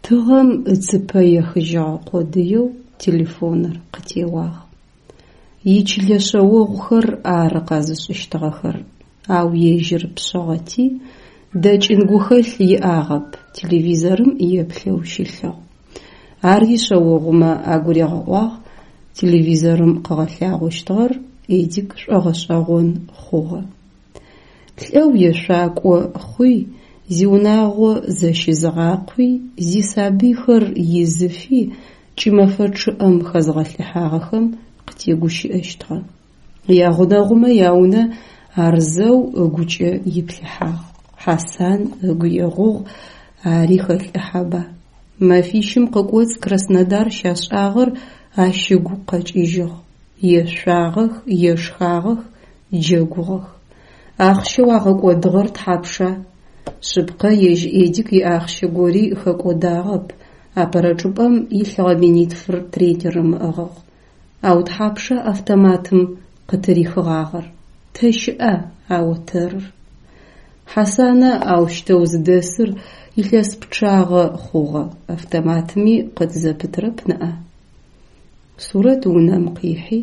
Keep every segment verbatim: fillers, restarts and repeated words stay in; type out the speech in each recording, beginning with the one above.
Тыгъэм ыцыпэ ехыжьыгъэ къодыеу телефоныр къытеуагъ. Ичылэ шъэогъухэр ары къэзышӏыщтыгъэхэр, ау ежьыр пшъыгъэти, дэкӏын гухэлъ иӏагъэп, телевизорым еплъэу щылъыгъ. Ар ишъэогъумэ агуригъэӏуагъ, телевизорым къыгъэлъагъощтыгъэр Эдик шӏогъэшӏэгъон хъугъэ. Лӏэу ешъуакӏо хъуи, зиунагъо зэщызыгъакъуи, зисабыйхэр изыфи кӏымэфэ чъыӏэм хэзгъэлӏыхьагъэхэм къытегущыӏэщтыгъэ. Ягъунэгъумэ яунэ ар зэу ыгукӏэ иплъыхьагъ. Хьасан ыгу егъугъ, ари хэлӏыхьэба. Мэфищым къыкӏоцӏ Краснодар щашӏагъэр ащ ыгу къэкӏыжьыгъ: ешъуагъэх, ешхагъэх, джэгугъэх. Ахъщэу агъэкӏодыгъэр тхьапша? Шъыпкъэ, ежь Эдик иахъщэ гори хэкӏодагъэп, апэрэ чӏыпӏэм илъыгъэ минитфыр тренерым ыӏыгъыгъ. Ау тхьапша автоматым къытырихыгъагъэр? Тэ щыӏа а отэрыр? Хьасанэ аущтэу зыдэсыр илъэс пчъагъэ хъугъэ, автоматми къыт зэпытрэп ныӏа? Сурэт унэм къихьи,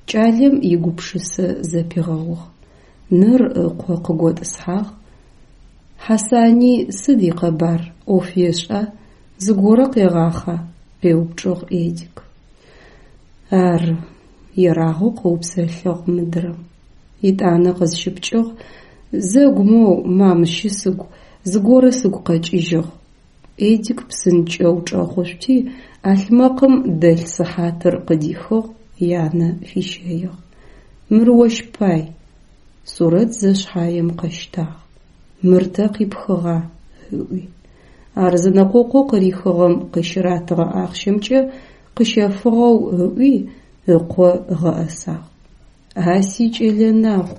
кӏалэм игупшысэ зэпигъэугъ. Ныр ыкъо къыготӏысхьагъ. Хьасани сыд икъэбар, ӏоф ешӏа, зыгорэ къегъахъа? – къеупчӏыгъ Эдик. Ары, – ерагъэу къыупсэлъыгъ мыдрэм. Етӏанэ къызщыпкӏыгъ: Зэгу моу, мам, щысыгу, зыгорэ сыгу къэкӏыжьыгъ. Эдик псынкӏэу чӏэхъушъути, ӏалъмэкъым дэлъ сыхьатыр къыдихыгъ, янэ фищэигъ. Мыр ощ пай. Сурэт зэшъхьаем къэщтагъ. Мыр тэ къипхыгъа? – ыӏуи. Ар зэнэкъокъоу къырихыгъэм къыщыратыгъэ ахъщэмкӏэ къыщэфыгъэу ыӏуи, ыкъо ыгъэӏэсагъ. А сикӏэлэ нагъу,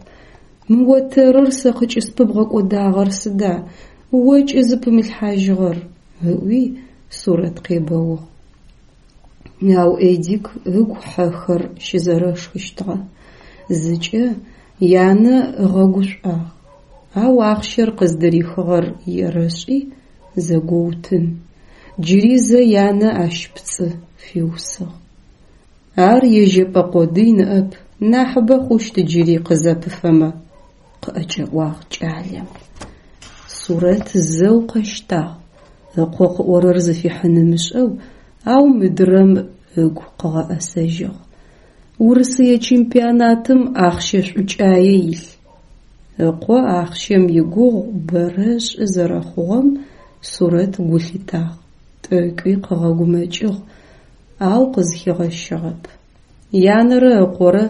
мы отэрыр сэ къыкӏыспыбгъэкӏодагъэр сыда, о кӏызыпымылъхьажьыгъэр? – ыӏуи Сурэт къебэугъ. Ау Эдик ыгу хьэхэр щызэрэшхыщтыгъэ. Зыкӏэ янэ ыгъэгушӏуагъ, ау ахъщэр къыздырихыгъэр ерэшӏи зэгоутын. Джыри зэ янэ ащ пцӏы фиусыгъ. Ар ежьэпӏэ къодый ныӏэп, нахьыбэ хъущт джыри къызэпыфэмэ, къыӏэкӏэӏуагъ кӏалэм. Сурэт зэу къэщтагъ, ыкъо къыӏорэр зыфихьын ымышӏэу, ау мыдрэм ыгу къыгъэӏэсэжьыгъ. Урысые чемпионатым ахъщэ шӏукӏае илъ. Ыкъо ахъщэм игугъу бэрэ ышӏы зэрэхъугъэм Сурэт гу лъитагъ, тӏэкӏуи къыгъэгумэкӏыгъ, ау къызхигъэщыгъэп. Янэрэ ыкъорэ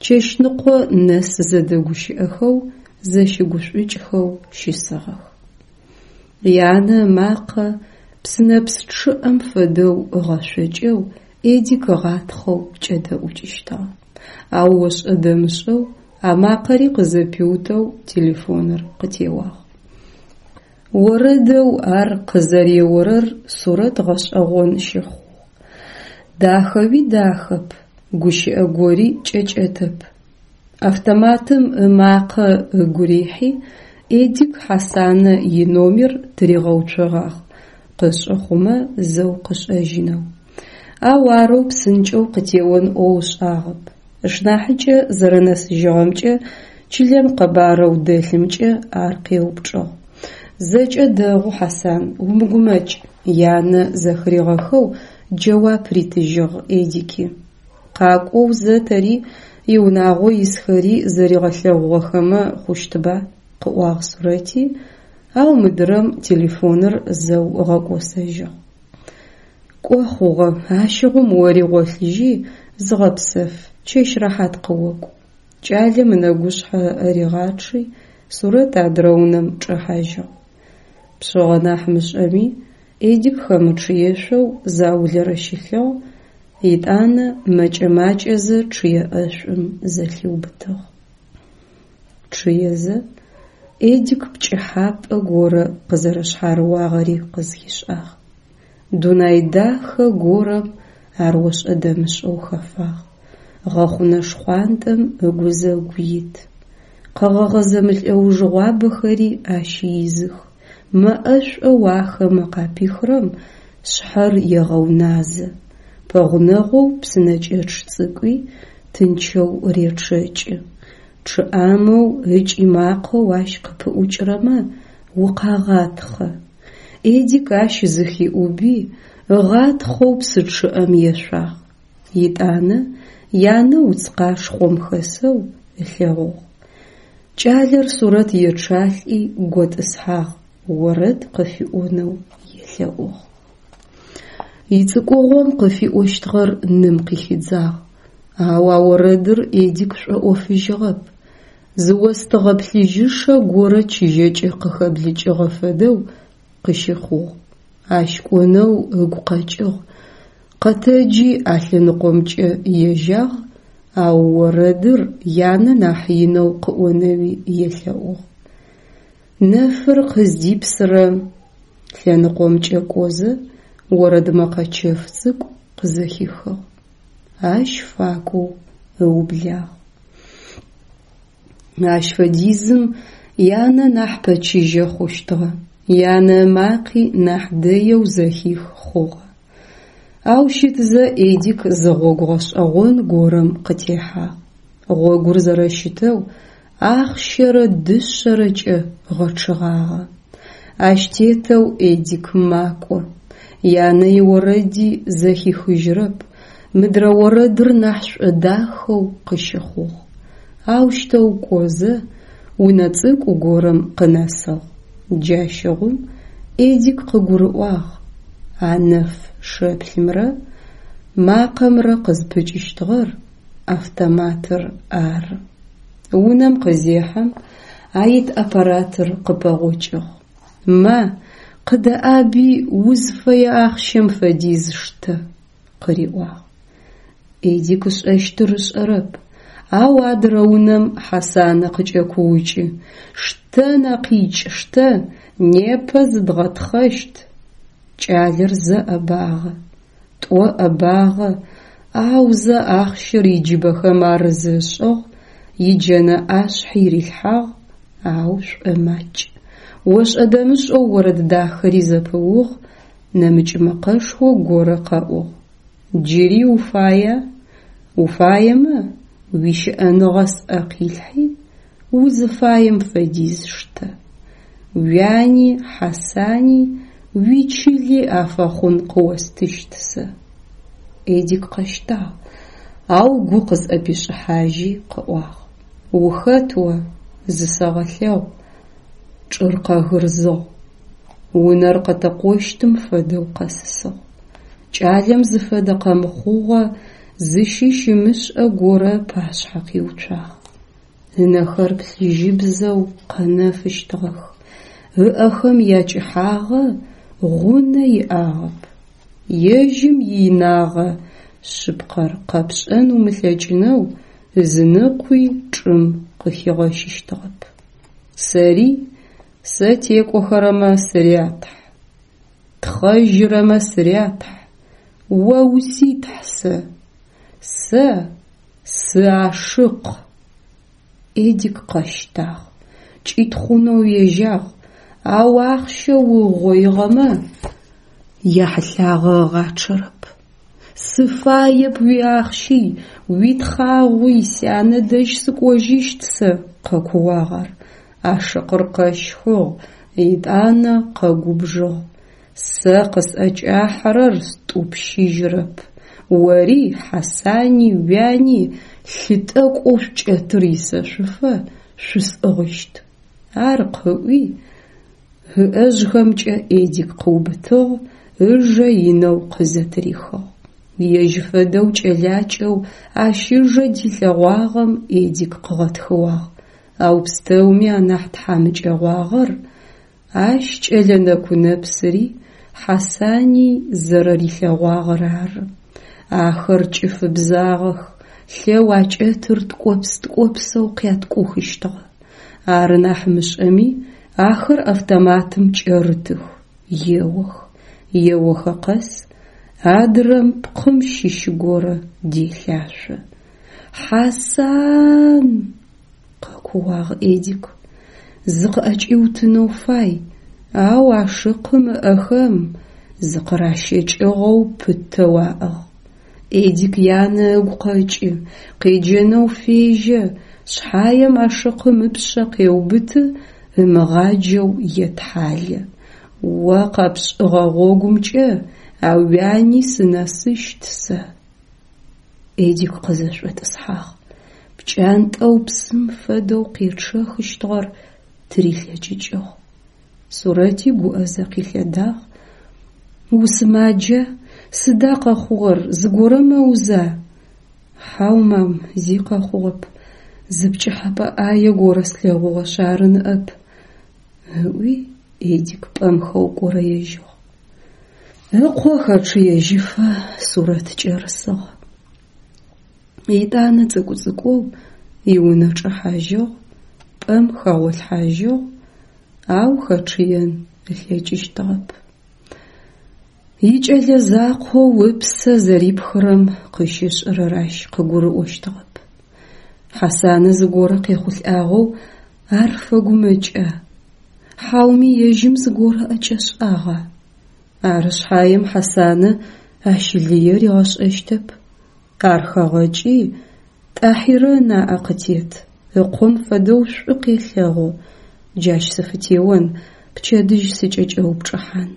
чэщныкъо нэс зэдэгущыӏэхэу, зэщыгушӏукӏхэу щысыгъэх. Янэ ымакъэ псынэпс чъыӏэм фэдэу ыгъэшъокӏэу Эдик ыгъатхъэу кӏэдэӏукӏыщтыгъэ. Ау ошӏэ-дэмышӏэу а макъэри къызэпиутэу телефоныр къытеуагъ. Орэдэу ар къызэреорэр Сурэт гъэшӏэгъон щыхъугъ. Дахэуи дахэп, гущыӏэ гори кӏэкӏэтэп. Автоматым ымакъэ ыгу рихьи, Эдик Хьасанэ иномер тыригъэуцогъагъ, къышӏы хъумэ зэу къышӏэжьынэу. Ау арэу псынкӏэу къытеон ӏоу ышӏагъэп. Ышнахьыкӏэ зэрэнэсыжьыгъэмкӏэ, чылэм къэбарэу дэлъымкӏэ ар къеупчӏыгъ. Зэкӏэ дэгъу, Хьасан, умыгумэкӏ, янэ зэхыригъэхэу джэуап ритыжьыгъ Эдики. Къакӏоу зэ тэри, иунагъо исхэри зэригъэлъэгъугъэхэмэ хъущтыба, къыӏуагъ Сурэти, ау мыдрэм телефоныр зэу ыгъэкӏосэжьыгъ. Кӏо хъугъэ, ащыгъум ори гъолъыжьи зыгъэпсэф, чэщ рэхьат къыокӏу. Кӏалэм ынэгушъхьэ ыӏэ ригъачъи, Сурэт адрэ унэм чӏэхьажьыгъ. Пшъыгъэ нахь мышӏэми, Эдик хэмычъыешъоу заулэрэ щылъыгъ, етӏанэ мэкӏэ-макӏэзэ чъые ӏэшӏум зэлъиубытыгъ. Чъыезэ, Эдик пкӏыхьапӏэ горэ къызэрэшъхьарыуагъэри къызхишӏагъ. Дунай дахэ горэм ар ошӏэ-дэмышӏэу хэфагъ. Гъэхъунэ шхъуантӏэм ыгузэгу ит. Къэгъэгъэ зэмылӏэужыгъуабэхэри ащ изых. Мэ ӏэшӏоу ахэмэ къапихрэм шъхьэр егъэуназэ. Пэгъунэгъоу псынэкӏэчъ цӏыкӏуи тынчэу речъэкӏы. Чъыӏамэу ыкӏи макъэу ащ къыпыӏукӏырэмэ укъагъатхъэ. Эдик ащ зыхиӏуби, ыгъатхъэу псы чъыӏэм ешъуагъ. Етӏанэ янэ уц къашхъом хэсэу ылъэгъугъ. Кӏалэр Сурэт ечъалӏи готӏысхьагъ, орэд къыфиӏонэу елъэӏугъ. Ицӏыкӏугъом къыфиӏощтыгъэр ным къыхидзагъ, ау а орэдыр Эдик шӏоӏофыжьыгъэп. Зы остыгъэ плъыжьышэ горэ чыжьэкӏэ къыхэблыкӏыгъэ фэдэу къыщыхъугъ. Ащ кӏонэу ыгу къэкӏыгъ. Къэтэджи а лъэныкъомкӏэ ежьагъ, ау орэдыр янэ нахь инэу къыӏонэуи елъэӏугъ. Нэфыр къыздипсырэ лъэныкъомкӏэ кӏозэ орэд мэкъэ чэф цӏыкӏу къызэхихыгъ. Ащ факӏоу ыублагъ. Ащ фэдизым янэ нахь пэчыжьэ хъущтыгъэ, янэ ымакъи нахь дэеу зэхих хъугъэ. Ау щытзэ Эдик зы гъогу гъэшӏэгъон горэм къытехьагъ. Гъогур зэрэщытэу ахъщэрэ дышъэрэкӏэ гъэчъыгъагъэ. Ащ тетэу Эдик макӏо. Янэ иорэди зэхихыжьырэп, мыдрэ орэдыр нахь шӏодахэу къыщыхъугъ. Аущтэу кӏозэ унэ цӏыкӏу горэм къынэсыгъ. Джащыгъум Эдик къыгурыӏуагъ: а нэф шэплъымрэ макъэмрэ къызпыкӏыщтыгъэр автоматыр ары. Унэм къызехьэм аит аппаратыр къыпэгъокӏыгъ. «Ма, къыдэӏаби узфэе ахъщэм фэдиз штэ», къыриӏуагъ. Эдик ышӏэщтыр ышӏэрэп, ау адырэ унэм Хьасанэ къыкӏэкуукӏы: «Штэ, Нэкъикӏ, штэ, непэ зыдгъэтхъэщт!» Кӏалэр зэ ӏэбагъэ, тӏо ӏэбагъэ, аузэ ахъщэр иджыбэхэм арыз ышӏыгъ, иджэнэ ӏашъхьи рилъхьагъ, ау шӏомакӏ. Ошӏэ-дэмышӏэу орэд дахэри зэпыугъ, нэмыкӏ мэкъэшхо горэ къэӏугъ: «Джыри уфая? Уфаемэ, уищыӏэныгъэ сӏэ къилъхьи, узыфаем фэдиз штэ. Уяни, Хьасани, уичыли афэхъун къыостыщт сэ». Эдик къэщтагъ, ау гу къызӏэпишӏыхьажьи къыӏуагъ: «Ухэт о? Зысэгъэлъэгъу!» Чӏыр къэгырзыгъ. Унэр къэтэкъощтым фэдэу къэсысыгъ. Кӏалэм зыфэдэ къэмыхъугъэ, зыщыщ ымышӏэ горэ ыпашъхьэ къиуцуагъ. Ынэхэр плъыжьыбзэу къэнэфыщтыгъэх, ыӏэхэм якӏыхьагъэ гъунэ иӏагъэп. Ежьым иинагъэ шъыпкъэр къэпшӏэн умылъэкӏынэу ызыныкъуи чӏым къыхигъэщыщтыгъэп. «Сэри? Сэ текӏохэрэмэ сырятхь, тхъэжьырэмэ сырятхь, о уситхь сэ! Сэ сы-ашыкъ!» Эдик къэщтагъ, кӏитхъунэу ежьагъ, ау ахъщэу ыугъоигъэмэ яхьылъагъэ ыгъачъэрэп. «Сыфаеп уиахъщи, уитхъагъуи, сянэ дэжь сыкӏожьыщт сэ!» къэкууагъ ар. Ашыкъыр къэщхыгъ, етӏанэ къэгубжыгъ: «Сэ къысӏэкӏахьэрэр стӏупщыжьырэп. Ори, Хьасани, уяни лъы тӏэкӏоу шъукӏэтыр исэшъуфэ шъусӏыгъыщт!» Ар къыӏуи, ыӏэжъхэмкӏэ Эдик къыубытыгъ, ыжэ инэу къызэтырихыгъ. Ежь фэдэу кӏэлакӏэу ащ ыжэ дилъэгъуагъэм Эдик къыгъэтхыуагъ, ау пстэуми анахь тхьамыкӏэгъуагъэр ащ кӏэлэ нэку-нэпсыри Хьасани зэрэрилъэгъуагъэр ары. Ахэр кӏыфыбзагъэх, лъэу акӏэтыр ткӏопс-ткӏопсэу къяткӏухыщтыгъэ. Ары нахь мышӏэми, ахэр автоматым кӏэрытых, еох. Еохэ къэс адрэм пкъым щыщ горэ делъашъо. «Хьасан!» къэкууагъ Эдик. Зыкъыӏэкӏиутынэу фай, ау ашыкъым ыӏэхэм Зыкъыращэкӏыгъэу пытэу аӏыгъ. Эдик янэ ыгу къэкӏы, къеджэнэу фежьэ шъхьаем, ашыкъым ыпшъэ къеубыты, ымыгъаджэу етхьалэ: «О къэпшӏыгъэ гъогумкӏэ а уяни сынэсыщт сэ…». Эдик къызэшӏотӏысхьагъ, пкӏантӏэу псым фэдэу къечъэхыщтыгъэр тырилъэкӏыкӏыгъ. Сурэти гуӏэзэ къилъэдагъ: «Усымаджа? Сыда къэхъугъэр, зыгорэ мэуза?» «Хьау, мам, зи къэхъугъэп, зы пкӏыхьэпӏэ ӏае горэ слъэгъугъэшъ ары ныӏэп», ыӏуи Эдик пӏэм хэукӏорэежьыгъ. Ыкъо хэчъыежьыфэ Сурэт кӏэрысыгъ. Етӏанэ цӏыкӏу-цӏыкӏоу иунэ чӏэхьажьыгъ, пӏэм хэгъолъхьажьыгъ, ау хэчъыен ылъэкӏыщтыгъэп. Икӏэлэ закъоу ыпсэ зэрипхырэм къыщышӏырэр ащ къыгурыӏощтыгъэп. Хьасанэ зыгорэ къехъулӏагъэу ар фэгумэкӏа? Хьауми ежьым зыгорэ ӏэкӏэшӏагъа? Ары шъхьаем Хьасанэ ащ лые ригъэшӏэщтэп. Ар хэгъэкӏи, Тӏахьирэ ынаӏэ къытет, ыкъом фэдэу шӏу къелъэгъу. Джащ сыфытеон, пчэдыжь сыкӏэкӏэупчӏыхьан.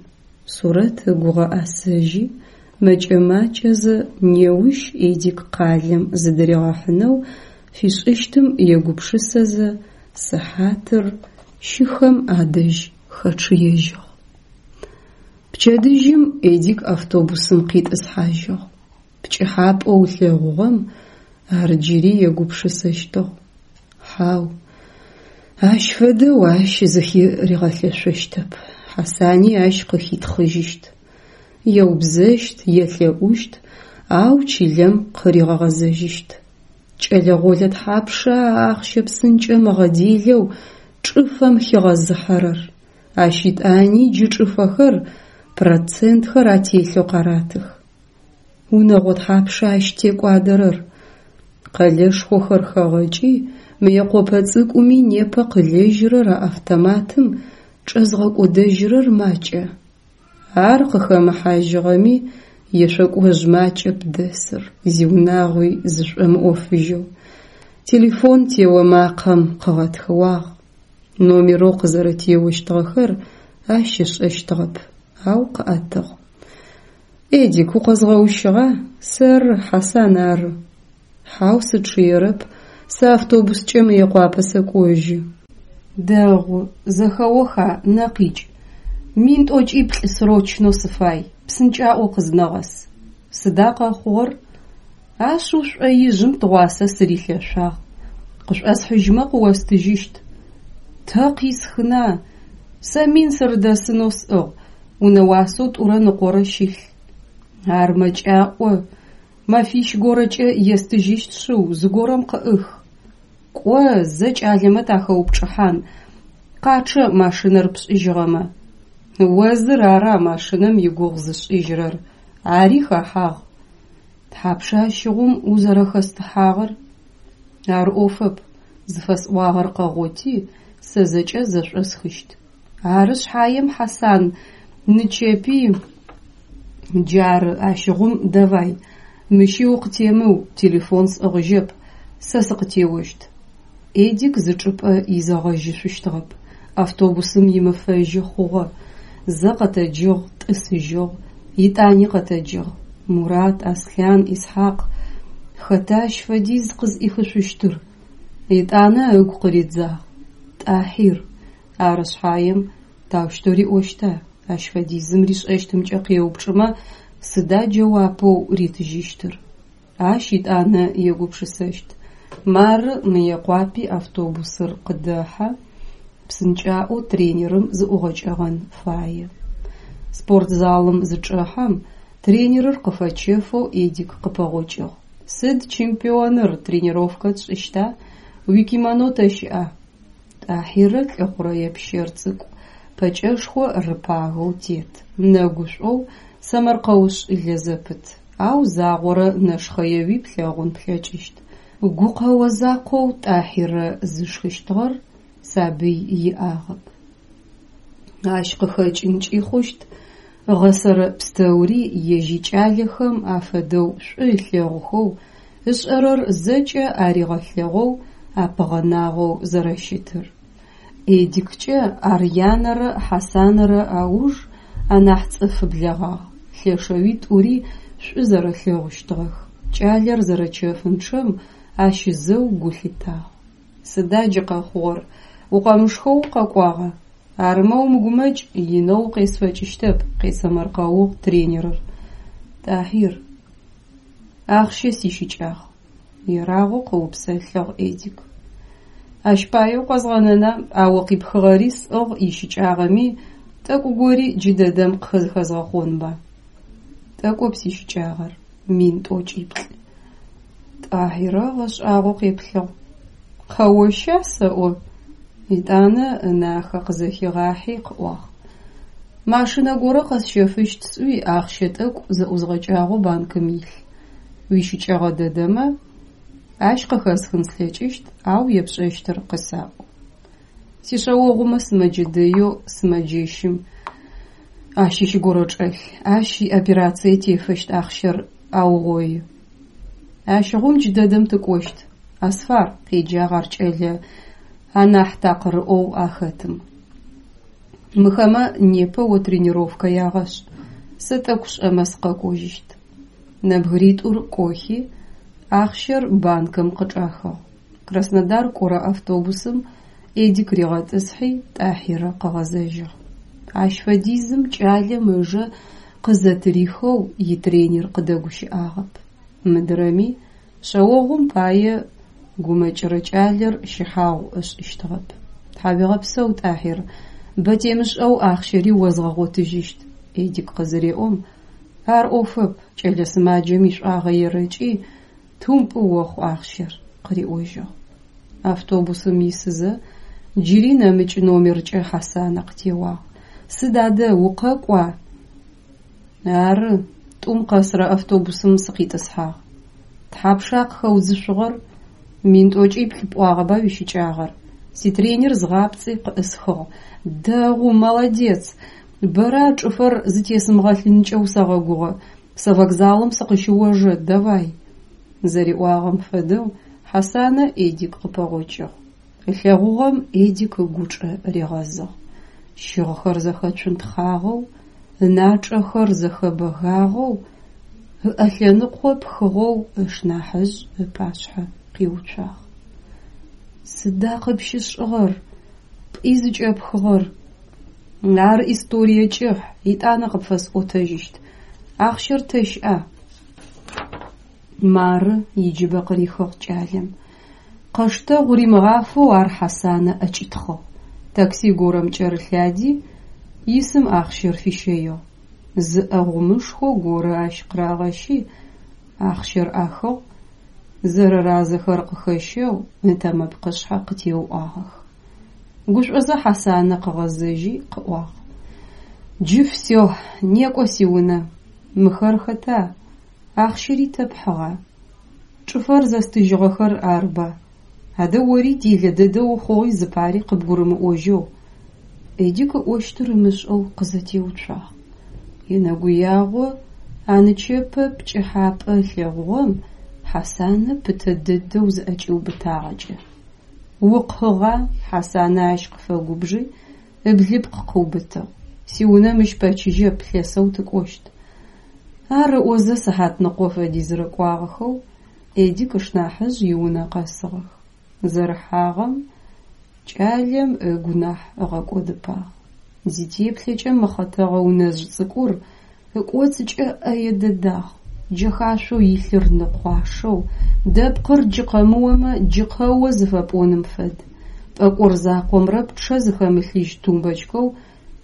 Сурэт ыгу ыгъэӏэсэжьи, мэкӏэ-макӏэзэ неущ Эдик къалэм зыдыригъэхьынэу фишӏыщтым егупшысэзэ, сыхьатыр щыхэм адэжь хэчъыежьыгъ. Пчэдыжьым Эдик автобусым къитӏысхьажьыгъ. Пкӏыхьапӏэу ылъэгъугъэм ар джыри егупшысэщтыгъ. Хьау, ащ фэдэу ащ зыхыригъэлъэшъощтэп, Хьасани ащ къыхитхъыжьыщт. Еубзэщт, елъэӏущт, ау чылэм къыригъэгъэзэжьыщт. Кӏэлэ-гъолэ тхьапша а ахъщэ псынкӏэм ыгъэделэу чӏыфэм хигъэзыхьэрэр? Ащ етӏани джы чӏыфэхэр процентхэр ателъэу къаратых. Унэгъо тхьапша ащ текӏуадэрэр? Къэлэшхохэр хэгъэкӏи, Мыекъопэ цӏыкӏуми непэ къылэжьырэр а автоматым чӏэзгъэкӏодэжьырэр макӏа? Ар къыхэмыхьажьыгъэми, ешъокӏожъ макӏэп дэсыр, зиунагъуи зышӏомыӏофыжьэу. Телефон тео макъэм къыгъэтхыуагъ. Номерэу къызэрэтеощтыгъэхэр ащ ышӏэщтыгъэп, ау къыӏэтыгъ. «Эдик, укъэзгъэущыгъа? Сэры, Хьасан ары». «Хьау, сычъыерэп, сэ автобускӏэ Мыекъуапэ сэкӏожьы». «Дэгъу, зэхэоха, нэ къикӏ. Мин тӏокӏиплӏ срочнэу сыфай, псынкӏаӏоу къызнэгъэс». «Сыда къэхъугъэр?» «Ашъыу шӏоижъым тыгъуасэ сырилъэшъуагъ. Къышӏосхьыжьмэ къыостыжьыщт». «Тэ къисхына? Сэ мин сырыдэсынэу сӏыгъ, унэ уасэу тӏурэ ныкъорэ щылъ». «Ар мэкӏаӏо, мэфищ горэкӏэ естыжьыщт шъыу, зыгорэм къыӏых». «Кӏо, зэ кӏалэмэ тахэупчӏыхьан, къачъэ машинэр пшӏыжьыгъэмэ». «О зыр ара машинэм игугъу зышӏыжьырэр, ари хэхьагъ». «Тхьапша ащыгъум узэрэхэстыхьагъэр?» «Ар ӏофэп, зыфэсӏуагъэр къэгъоти, сэ зэкӏэ зэшӏосхыщт». «Ары шъхьаем, Хьасан, нычэпи…» «Джары, ащыгъум давай, мыщи укъытемыу, телефон сӏыгъыжьэп, сэ сыкъытеощт». Эдик зы чӏыпӏэ изэгъэжьышъущтыгъэп. Автобусым имыфэжьы хъугъэ. Зэ къэтэджыгъ, тӏысыжьыгъ, етӏани къэтэджыгъ. Мурат, Аслъан, Исхьакъ. Хэта ащ фэдиз къызӏихышъущтыр? Етӏанэ ыгу къыридзагъ. Тӏахьир. Ары шъхьаем таущтэу риӏощта? Ащ фэдизым ришӏэщтымкӏэ къеупчӏымэ, сыда джэуапэу ритыжьыщтыр? Ащ етӏанэ егупшысэщт. Мары Мыекъуапи автобусыр къыдэхьэ, псынкӏаӏоу тренерым зыӏугъэкӏэгъэн фае. Спортзалым зычӏэхьэм, тренерыр къыфэчэфэу Эдик къыпэгъокӏыгъ. «Сыд, чемпионыр, тренировкэ тшӏыщта? Уикимоно тэ щыӏа?» Тӏахьирэ лӏы хъурэе пщэр цӏыкӏу, пэкӏэшхо рыпагэу тет, нэгушӏоу, сэмэркъэушӏылэ зэпыт, ау загъорэ нэшхъэеуи плъэгъун плъэкӏыщт. Гукъэо закъоу Тӏахьирэ зышхыщтыгъэр сабый иӏагъэп. Ащ къыхэкӏынкӏи хъущт Ыгъэсэрэ пстэури ежь икӏалэхэм афэдэу шӏу ылъэгъухэу, ышӏэрэр зэкӏэ аригъэлъэгъоу апыгъэнагъэу зэрэщытыр. Эдиккӏэ ар янэрэ Хьасанэрэ ауж анахь цӏыф блэгъагъ, лъэшэуи тӏури шӏу зэрэлъэгъущтыгъэх. Кӏалэр зэрэчэфынчъэм ащ зэу гу лъитагъ. Сыда джы къэхъугъэр, укъэмышхэу укъэкӏуагъа? Арымэ умыгумэкӏ, инэу укъесфэкӏыщтэп, къесэмэркъэугъ тренерыр. Тӏахьир, ахъщэ сищыкӏагъ, ерагъэу къыупсэлъыгъ Эдик. Ащ пае укъэзгъэнэна, а о къипхыгъэри сӏыгъ, ищыкӏагъэми, тӏэкӏу гори джыдэдэм къызхэзгъэхъонба. Тӏэкӏоп сищыкӏагъэр, мин тӏокӏиплӏ. Тӏахьирэ ыгъэшӏагъоу къеплъыгъ. Къэоща сэӏо? Етӏанэ ынахэ къызэхигъахьи къыӏуагъ: Машинэ горэ къэсщэфыщт сӏуи ахъщэ тӏэкӏу зэӏузгъэкӏагъэу банкым илъ. Уищыкӏэгъэ дэдэмэ, ащ къыхэсхын слъэкӏыщт, ау епшӏэщтыр къысаӏу. Сишъэогъумэ сымэджэ дэеу сымэджэщым ащыщ горэ чӏэлъ, ащ иоперацие тефэщт ахъщэр аугъои. Ащыгъум джыдэдэм тыкӏощт, Асфар, къеджагъ ар кӏэлэ анахь такъырыӏоу ахэтым. Мыхэмэ непэ о тренировкэ ягъэшӏ, сэ тӏэкӏу шӏэмэ сыкъэкӏожьыщт. Нэбгыритӏур кӏохи, ахъщэр банкым къычӏахыгъ. Краснодар кӏорэ автобусым Эдик ригъэтӏысхьи, Тӏахьирэ къыгъэзэжьыгъ. Ащ фэдизым кӏалэм ыжэ къызэтырихэу итренер къыдэгущыӏагъэп. Мыдрэми шъэогъум пае гумэкӏырэ кӏалэр щыхьагъу ышӏыщтыгъэп. Тхьауегъэпсэу, Тӏахьир, бэ темышӏэу ахъщэри озгъэгъотыжьыщт, Эдик къызыреӏом, ар ӏофэп, кӏэлэ сымаджэм ишӏуагъэ ерэкӏи, тумпӏы охъу ахъщэр, къыриӏожьыгъ. Автобусым исызэ джыри нэмыкӏ номеркӏэ Хьасанэ къытеуагъ. Сыд адэ, укъэкӏуа? Ары, тӏум къэсырэ автобусым сыкъитӏысхьагъ. Тхьапша къыхэудзышъугъэр? Мин тӏокӏиплӏ пӏуагъэба уищыкӏагъэр? Ситренер згъапцӏи къыӏысхыгъ. Дэгъу, молодец! Бэрэ а чӏыфэр зытесымыгъэлъынкӏэ усэгъэгугъэ. Сэ вокзалым сыкъыщыожэ, давай! Зэриӏуагъэм фэдэу Хьасанэ Эдик къыпэгъокӏыгъ. Ылъэгъугъэм Эдик ыгучӏэ ригъэзыгъ. Щыгъхэр зэхэцунтхъагъэу, ыначӏэхэр зэхэбэгагъэу, ыӏэлъэныкъо пхыгъэу ышнахьыжъ ыпашъхьэ къиуцуагъ. Сыда къыпщышӏыгъэр? Пӏи зыкӏэпхыгъэр? Ар историе кӏыхь, етӏанэ къыпфэсӏотэжьыщт. Ахъщэр тэ щыӏа? Мары, иджыбэ къырихыгъ кӏалэм. Къэштэгъу римыгъафэу ар Хьасанэ ӏэкӏитхъыгъ. Такси горэм кӏэрылъади, исым ахъщэр фищэигъ. Зы ӏэгъумышхо горэ ащ къырагъэщи, ахъщэр ӏахыгъ, зэрэразэхэр къыхэщэу ытэмэпкъышъхьэ къытеуӏуагъэх. Гушӏозэ Хьасанэ къыгъэзэжьи къыӏуагъ: Джы всё, некӏо сиунэ. Мыхэр хэта? Ахъщэри тэ пхьыгъа? Чӏыфэр зэстыжьыгъэхэр арба? Адэ ори делэ дэдэ ухъугъи зыпари къыбгурымыӏожьэу. Эдик ыӏощтыр ымышӏэу къызэтеуцуагъ. Енэгуягъо а нычэпэ пкӏыхьапӏэ ылъэгъугъэм Хьасанэ пытэ дэдэу зыӏэкӏиубытагъэкӏэ. Укъыгъа? Хьасанэ ащ къыфэгубжи, ыблыпкъ къыубытыгъ. Сиунэ мыщ пэчыжьэп, лъэсэу тыкӏощт. Ар ыӏозэ сыхьатныкъо фэдизрэ кӏуагъэхэу Эдик ышнахьыжъ иунэ къэсыгъэх. Зэрыхьагъэм кӏалэм ыгу нахь ыгъэкӏодыпагъ. Зитеплъэкӏэ мыхъэтэгъэ унэжъ цӏыкӏур ыкӏоцӏыкӏэ ӏэе дэдагъ. Джэхашъоу илъыр ныкъуашэу, дэпкъыр джы къэмыомэ джы къэо зыфэпӏоным фэд. Пӏэкӏор закъомрэ пчъэ зыхэмылъыжь тумбочкэу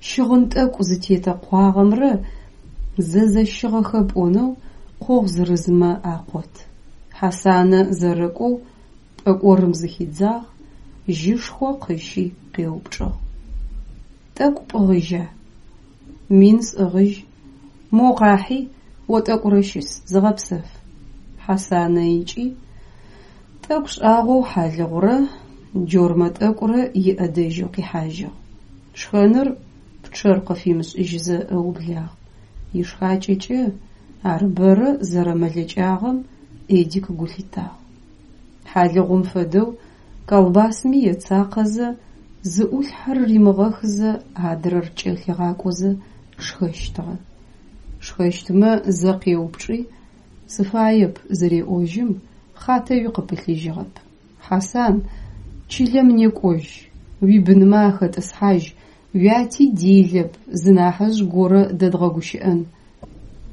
щыгъын тӏэкӏу зытетэкъуагъэмрэ зэзэщыгъэхэ пӏонэу къогъу зырызмэ акъот. Хьасанэ зэрэкӏоу пӏэкӏорым зыхидзагъ, жьышхо къыщи къеупчӏыгъ: Тӏэкӏу пӏыгъыжьа? Мин сӏыгъыжь. Мо къахьи, о тӏэкӏурэ щыс, зыгъэпсэф. Хьасанэ икӏи, тӏэкӏу шӏагъэу хьалыгъурэ джормэ тӏэкӏурэ иӏэдэжьэу къихьажьыгъ. Шхэныр пчъэр къыфимышӏыжьызэ ыублагъ. Ишхакӏэкӏэ ар бэрэ зэрэмэлэкӏагъэм Эдик гу лъитагъ. Хьалыгъум фэдэу колбасми ецакъэзэ, зы ӏулъхьэр римыгъэхызэ адрэр кӏэлъигъакӏозэ шхэщтыгъэ. Шхэщтмэ зэ къеупчӏи, сыфаеп зыреӏожьым, хъатэуи къыпылъыжьыгъэп. Хьасан, чылэм некӏожь, уибынмэ ахэтӏысхьажь, уяти делэп, зы нахьыжъ горэ дэдгъэгущыӏэн.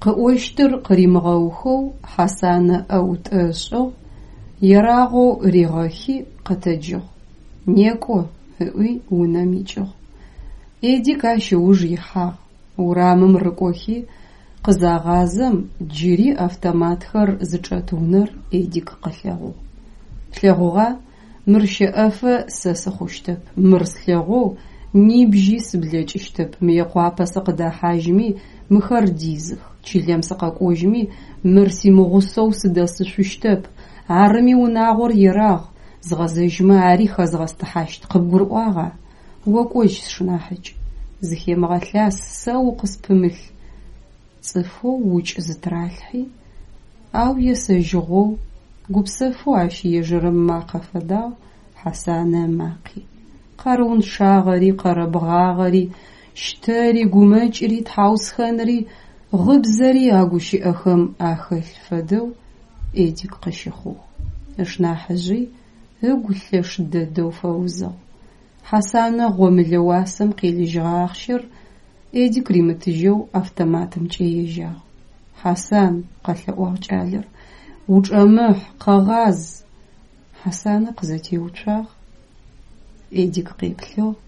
Къыӏощтыр къыримыгъэухэу Хьасанэ ӏэӏутӏэ ышӏыгъ, ерагъэу ригъэхи, къэтэджыгъ. Некӏо, ыӏуи унэм икӏыгъ. Эдик ащ ыуж ихьагъ. Урамым рыкӏохи къызагъазэм джыри автоматхэр зычӏэт унэр Эдик къылъэгъугъ. Плъэгъугъа, мыр щэӏэфэ сэ сыхъущтэп, мыр слъэгъоу нибжьи сыблэкӏыщтэп, Мыекъуапэ сыкъыдэхьажьми мыхэр дизых, чылэм сыкъэкӏожьми мыр симыгъусэу сыдэсышъущтэп, арыми унагъор ерагъ, згъэзэжьмэ ари хэзгъэстыхьащт, къыбгурыӏуагъа? О кӏожь, сшынахьыкӏ, зыхемыгъэлъас, сэ укъыспымылъ. Цӏыфэу укӏ зытыралъхьи, ау есэжьыгъэу, гупсэфэу ащ ежэрэм ымакъэ фэдагъ Хьасанэ ымакъи. Къарыунчъагъэри, къэрэбгъагъэри, щтэри, гумэкӏри, тхьаусхэнри, гъыбзэри а гущыӏэхэм ахэлъ фэдэу Эдик къыщыхъугъ. Ышнахьыжъи ыгу лъэш дэдэу фэузыгъ. Хьасанэ гъомылэ уасэм къелыжьыгъэ ахъщэр Эдик римытыжьэу автоматымкӏэ ежьагъ. Хьасан, къэлъэӏуагъ кӏалэр, учӏэмыхь, къэгъаз. Хьасанэ къызэтеуцуагъ, Эдик къеплъыгъ,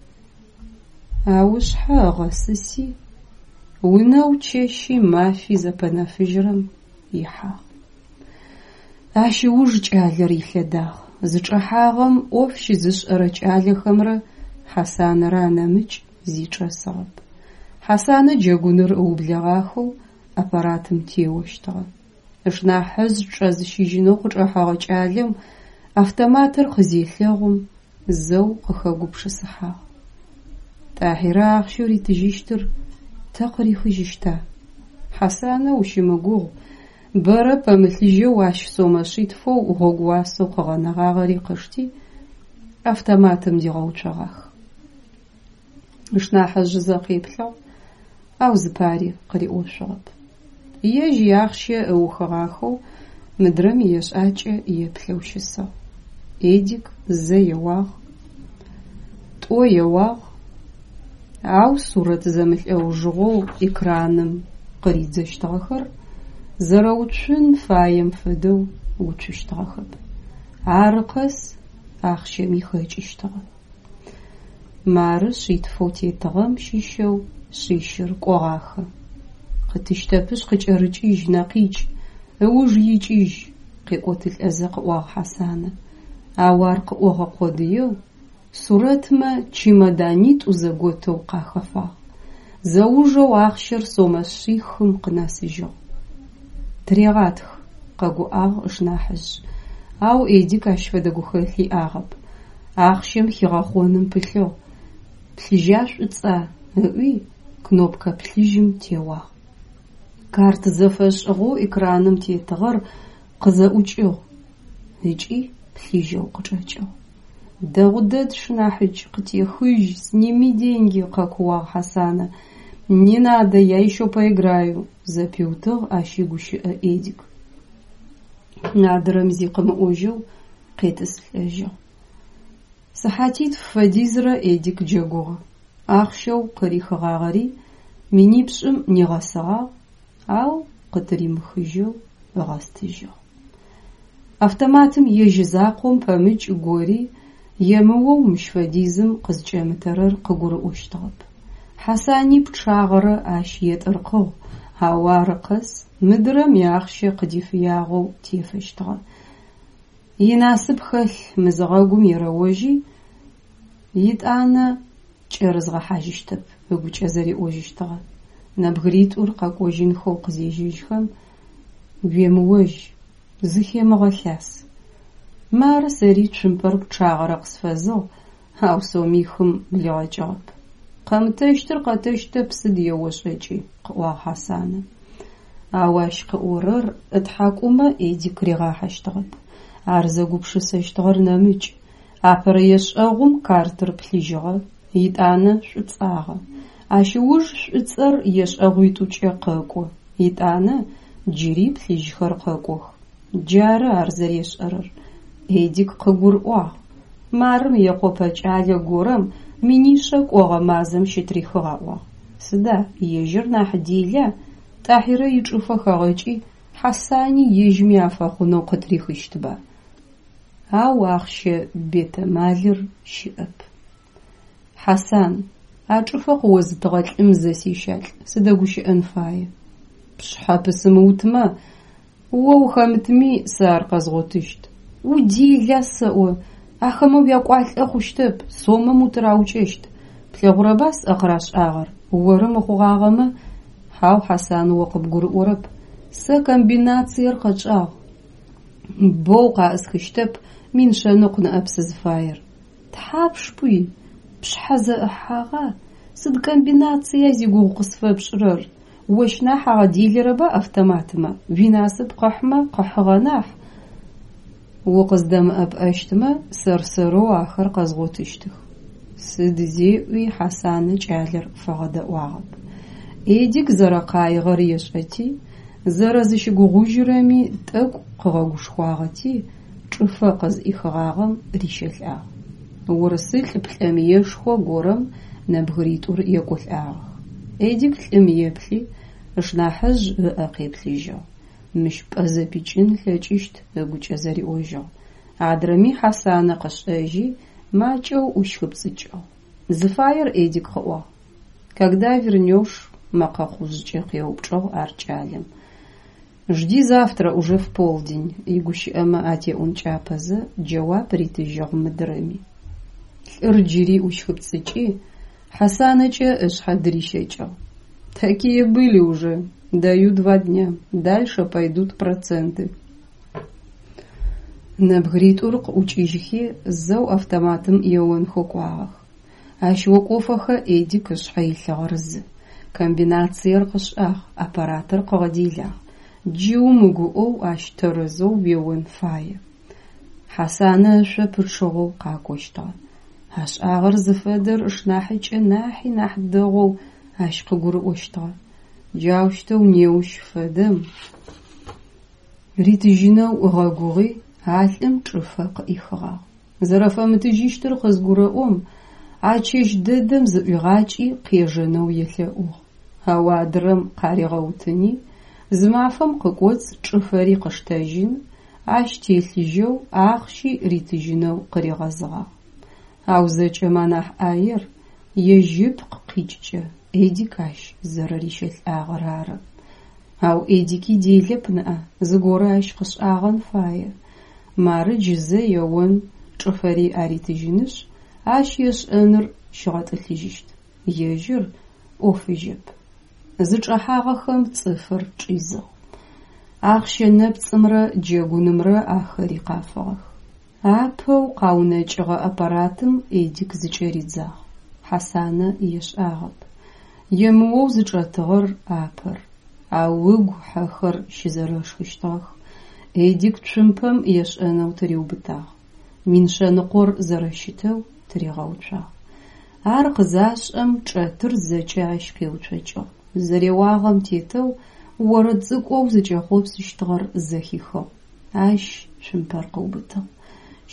ау ышъхьэ ыгъэсыси, унэу чэщи мафи зэпэнэфыжьырэм ихьагъ. Ащ ыуж кӏалэр илъэдагъ. Зычӏэхьагъэм ӏоф щызышӏэрэ кӏалэхэмрэ Хьасанэрэ анэмыкӏ зи чӏэсыгъэп. Хьасанэ джэгуныр ыублэгъахэу аппаратым теощтыгъэ. Ышнахьыжъ чӏэзыщыжьынэу къычӏэхьэгъэ кӏалэм автоматыр къызелъэгъум, зэу къыхэгупшысыхьагъ. Тӏахьирэ ахъщэу ритыжьыщтыр тэ къырихыжьыщта? Хьасанэ ущымыгугъ, бэрэ пэмылъыжьэу ащ сомэ шъитфэу гъогууасэу къыгъэнэгъагъэри къышти, автоматым дигъэуцогъах. Ышнахьыжъ зэ къеплъыгъ, ау зыпари къыриӏошъугъэп. Ежь иахъщэ ыухыгъахэу мыдрэм иешӏакӏэ еплъэу щысыгъ. Эдик зэ еуагъ, тӏо еуагъ, ау сурэт зэмылӏэужыгъоу экраным къыридзэщтыгъэхэр зэрэуцун фаем фэдэу уцущтыгъэхэп. Ары къэс ахъщэми хэкӏыщтыгъэ. Мары шъитфэу тетыгъэм щыщэу шъищыр кӏогъахэ. Къытыщтэпышъ къыкӏэрыкӏыжь, нэкъикӏ, ыуж икӏыжь, къекӏотылӏэзэ къыӏуагъ Хьасанэ. Ау ар къыӏогъэ къодыеу сурэтмэ чемоданитӏу зэготэу къахэфагъ. Зэужэу ахъщэр сомэ шъихым къынэсыжьыгъ. Тырегъатх, къэгуӏагъ ышнахьыжъ. Ау Эдик ащ фэдэ гухэлъ иӏагъэп. Ахъщэм хигъэхъоным пылъыгъ. Плъыжьа шӏуцӏа? Ыӏуи кнопкэ плъыжьым теуагъ. Карт зэфэшӏыгъэу экраным тетыгъэр къызэӏукӏыгъ ыкӏи плъыжьэу къычӏэкӏыгъ. Дэгъу дэд, сшынахьыкӏ, къытехыжь, сними деньги, къэкууагъ Хьасанэ. Не надо, я ещё поиграю, зэпиутыгъ ащ игущыӏэ Эдик. Адрэм зи къымыӏожьэу къетӏысылӏэжьыгъ. Сыхьатитф фэдизрэ Эдик джэгугъэ. Ахъщэу къырихыгъагъэри минипшӏым нигъэсыгъагъ, ау къытыримыхыжьэу ыгъэстыжьыгъ. Автоматым ежь закъом пэмыкӏ гори емыоу мыщ фэдизым къызкӏэмытэрэр къыгурыӏощтыгъэп. Хьасани пчъагъэрэ ащ етӏыркъыгъ, ау ары къэс мыдрэм иахъщэ къыдифыягъэу тефэщтыгъэ. Инасып хэлъ мызыгъэгум ерэожьи, итӏанэ кӏэрызгъэхьажьыщтэп ыгукӏэ зэриӏожьыщтыгъэ. Нэбгыритӏур къэкӏожьынхэу къызежьэжьхэм, уемыожь, зыхемыгъэлъас. Мары сэри цумпэр пчъагъэрэ къысфэзыгъ, ау сомихым блигъэкӏыгъэп. Къэмытэщтыр къэтэщтэп сыд еошӀэкӀи, – къыӀуагъ Хьасанэ. Ау ащ къыӀорэр ытхьакӀумэ Эдик ригъахьэщтыгъэп. Ар зэгупшысэщтыгъэр нэмыкӀ. Апэрэ ешӀэгъум картыр плъыжьыгъэ, етӀанэ шӀуцӀагъэ. Ащ ыуж шӀуцӀэр ешӀэгъуитӀукӀэ къэкӀо, етӀанэ джыри плъыжьхэр къэкӀох. Джары ар зэрешӀэрэр. Эдик къыгурыӀуагъ: мары Мыекъопэ кӀалэ горэм минишъэ кӀогъэ мазэм щытрихыгъ аӀуагъ. Сыда, ежьыр нахь дела, ТӀахьирэ ичӀыфэ хэгъэкӀи, Хьасани ежьми афэхъунэу къытрихыщтба? Ау ахъщэ бетэмалыр щыӀэп. Хьасан, а чӀыфэ къыозытыгъэ лӀым зэ сещалӀ, сыдэгущыӀэн фае. Пшъхьэ пысымыутмэ, о ухэмытми, сэ ар къэзгъотыщт. Удела сэӀо, ахэмэ уякӀуалӀэ хъущтэп, сомэм утыраукӀэщт. Плъэгъурэба сӀэ къырашӀагъэр, оры мыхъугъагъэмэ? Хьау, Хьасан, о къыбгурыӀорэп. Сэ комбинациер къэчӀагъ. Боу къаӀысхыщтэп, мин шъэныкъу ныӀэп сызфаер. Тхьапш пӀуи? Пшъхьэ зэӀыхьагъа? Сыд комбинация зигугъу къысфэпшӀырэр? Ощ нахь агъэделэрэба автоматмэ, уинасып къыхьмэ къыхьыгъэ нахь. УкъыздэмыӀэпыӀэщтмэ, сэр-сэрэу ахэр къэзгъотыщтых. Сыд зеӀуи Хьасанэ кӀалэр фэгъэдэӀуагъэп. Эдик зэрэкъаигъэр ешӀэти, зэрэзыщыгугъужьырэми тӀэкӀу къыгъэгушхуагъэти, чӀыфэ къызӀихыгъагъэм рищэлӀагъ. УрысылӀ плӀэмыешхо горэм нэбгыритӀур екӀолӀагъэх. Эдик лӀым еплъи, ышнахьыжъ ыӀэ къеплъыжьыгъ. Мыщ пӀэ зэпикӀын ылъэкӀыщт ыгукӀэ зэриӀожьыгъ. Адрэми Хьасанэ къышӀэжьи, макӀэу ӀущхыпцӀыкӀыгъ. Зыфаер Эдик къыӀуагъ. Когда вернешь? Мэкъэ хъужъкӀэ къеупчӀыгъ ар кӀалэм. Жди завтра уже в полдень, игущыӀэмэ атеӀункӀапэзэ джэуап ритыжьыгъ мыдрэми. ЛӀыр джыри ӀущхыпцӀыкӀи, ХьасанэкӀэ ышъхьэ дырищэкӀыгъ. Такие были уже. Даю два дня. Дальше пойдут проценты. НэбгыритӀур къыӀукӀыжьхи, зэу автоматым еонхэу кӀуагъэх. Ащ окӀофэхэ Эдик ышъхьэ илъыгъэр зы: комбинациер къышӀагъ, аппаратыр къыгъэделагъ. Джы умыгуӀэу ащ тэрэзэу уеон фае. Хьасанэ ышъо пычъыгъэу къакӀощтыгъэ. АшӀагъэр зыфэдэр ышнахьыкӀэ нахьи нахь дэгъоу ащ къыгурыӀощтыгъэ. Джаущтэу неущ фэдэм ритыжьынэу ыгъэгугъи, а лӀым чӀыфэ къыӀихыгъагъ. Зэрэфэмытыжьыщтыр къызгурэӀом, а чэщ дэдэм зыӀуигъакӀи къежэнэу елъэӀугъ. Ау адрэм къаригъэутыни, зы мафэм къыкӀоцӀ чӀыфэри къыштэжьын, ащ телъыжьэу ахъщи ритыжьынэу къыригъэзыгъагъ. Ау зэкӀэм анахь Ӏаер ежь ыпкъ къикӀыкӀэ Эдик ащ зэрэрищэлӀагъэр ары. Ау Эдики делэп ныӀа, зыгорэ ащ къышӀагъэн фае. Мары джы зэ еон, чӀыфэри аритыжьынышъ, ащ ешӀэныр щигъэтӀылъыжьыщт. Ежьыр Ӏофыжьэп. ЗычӀэхьагъэхэм цӀыфыр чӀизыгъ. Ахъщэ нэпцӀымрэ джэгунымрэ ахэри къафыгъэх. Апэу къаунэкӀыгъэ аппаратым Эдик зыкӀэридзагъ. Хьасанэ ешӀагъэп. Емыоу зычӀэтыгъэр апэр. Ау ыгу хьэхэр щызэрэшхыщтыгъэх. Эдик цумпэм ешӀэнэу тыриубытагъ. Мин шъэныкъор зэрэщытэу тыригъэуцуагъ. Ар къызашӀэм чӀэтыр зэкӀэ ащ къеуцокӀыгъ. Зэреуагъэм тетэу орэд цӀыкӀоу зыкӀэхъопсыщтыгъэр зэхихыгъ. Ащ цумпэр къыубытыгъ.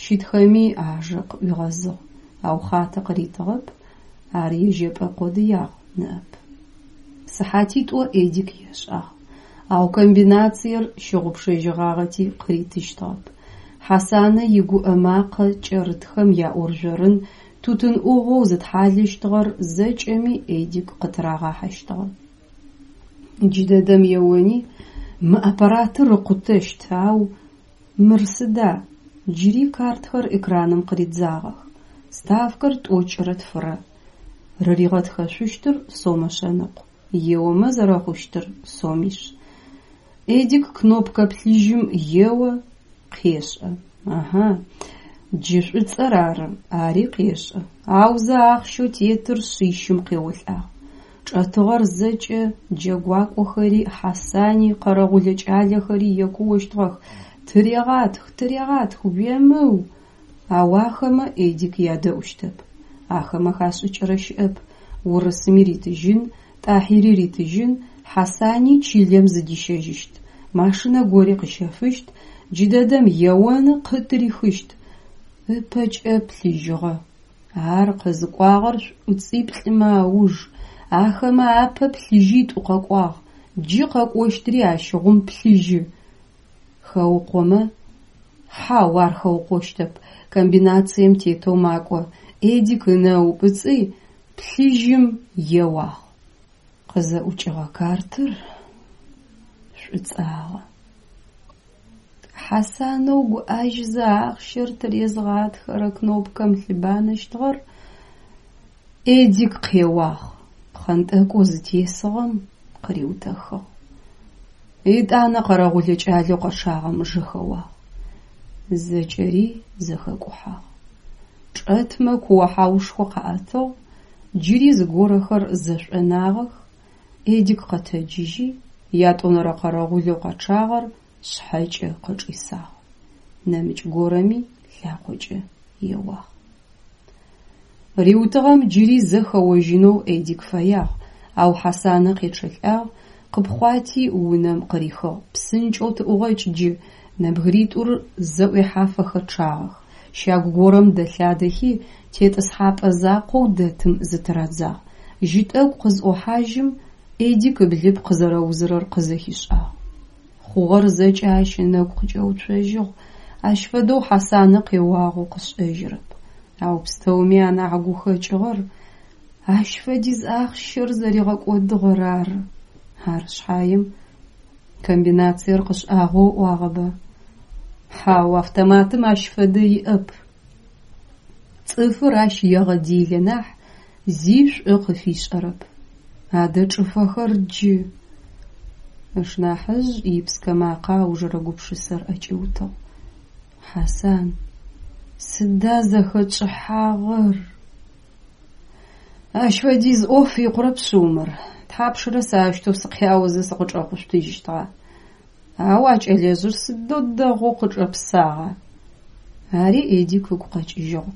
Щытхэми ажэ къыӀуигъэзыгъ, ау хъатэ къыритыгъэп, ар ежьэпӀэ къодыягъ ныӀэп. СыхьатитӀо Эдик ешӀагъ, ау комбинациер щыгъупшэжьыгъагъэти къыритыщтыгъэп. Хьасанэ игуӀэ макъэ кӀэрытхэм яӀоржъорын тутын Ӏугъоу зытхьалэщтыгъэр зэкӀэми Эдик къытырагъахьэщтыгъэ. Джыдэдэм еони, мы аппаратыр ыкъутэщт, ау мыр сыда? Джыри картхэр экраным къыридзагъэх. Ставкэр тӀокӀырэ тфырэ. Рыригъэтхэшъущтыр сомэ шъэныкъу, еомэ зэрэхъущтыр сомишъ. Эдик кнопкэ плъыжьым ео, къешӀэ. Аха, Джы шӏуцӏэр ары, ари къешӏэ, аузэ ахъщэу тетыр шъищым къеолӏагъ. Чӏэтыгъэр зэкӏэ джэгуакӏохэри, Хьасани, къэрэгъулэ кӏалэхэри екуощтыгъэх: «Тырегъатх, тырегъатх, уемыу!» Ау ахэмэ Эдик ядэӏущтэп. Ахэмэ хашӏыкӏырэ щыӏэп: урысыми ритыжьын, Тӏахьири ритыжьын, Хьасани чылэм зыдищэжьыщт. Машинэ гори къыщэфыщт, джыдэдэм еоны къытырихыщт. Ыпэкӏэ плъыжьыгъэ. Ар къызыкӏуагъэр шӏуцӏиплӏымэ ауж, ахэмэ апэ плъыжьитӏу къэкӏуагъ, джы къэкӏощтыри ащыгъум плъыжьы. Хэукъомэ? Хьау, ар хэукъощтэп. Комбинацием тетэу макӏо. Эдик ынэ ыупӏыцӏи, плъыжьым еуагъ. Къызэӏукӏыгъэ картыр шӏуцӏагъэ. Хьасанэу гуӏэжьзэ ахъщэр тырезгъатхэрэ кнопкэм лъыбанэщтыгъэр Эдик къеуагъ, пхъэнтӏэкӏоу зытесыгъэм къыриутэхыгъ. Етӏанэ къэрэгъулэ кӏалэу къэчъагъэм жэхэуагъ. Зэкӏэри зэхэкӏухьагъ. Чӏэтмэ куо-хьаушхо къаӏэтыгъ, джыри зыгорэхэр зэшӏонагъэх. Эдик къэтэджыжьи, ятӏонэрэ къэрэгъулэу къэчъагъэр шъхьэкӏэ къычӏисагъ. Нэмыкӏ горэми лъакъокӏэ еуагъ. Риутыгъэм джыри зэ хэожьынэу Эдик фэягъ, ау Хьасанэ къечъэлӏагъ, къыпхъуати унэм къырихыгъ. Псынкӏэу тыӏугъэкӏ джы! Нэбгыритӏур зэӏуехьафэхэ чъагъэх. Щагу горэм дэлъадэхи, тетӏысхьапӏэ закъоу дэтым зытырадзагъ. Жьы тӏэкӏу къызӏохьажьым, Эдик ыблыпкъ зэрэузырэр къызэхишӏагъ. Хъугъэр зэкӏэ ащ ынэгу къыкӏэуцожьыгъ. Ащ фэдэу Хьасанэ къеуагъэу къышӏэжьырэп. Ау пстэуми анахь гухэкӏыгъэр ащ фэдиз ахъщэр зэригъэкӏодыгъэр ары. Ары шъхьаем комбинациер къышӏагъэу ыӏуагъэба? Хьау, автоматым ащ фэдэ иӏэп. Цӏыфыр ащ егъэделэ нахь, зи шӏу къыфишӏэрэп. Адэ чӏыфэхэр джы! Ышнахьыжъ ипскэ макъэ аужрэ гупшысэр ӏэкӏиутыгъ. Хьасан, сыда зэхэтшӏыхьагъэр? Ащ фэдиз ӏоф икъурэп шъыу мыр. Тхьапшрэ сэ аущтэу сыкъяозэ сыкъычӏэхъушъутыжьыщтыгъа? Ау а кӏэлэжъыр сыдэу дэгъоу къычӏэпсагъа? Ари Эдик ыгу къэкӏыжьыгъ.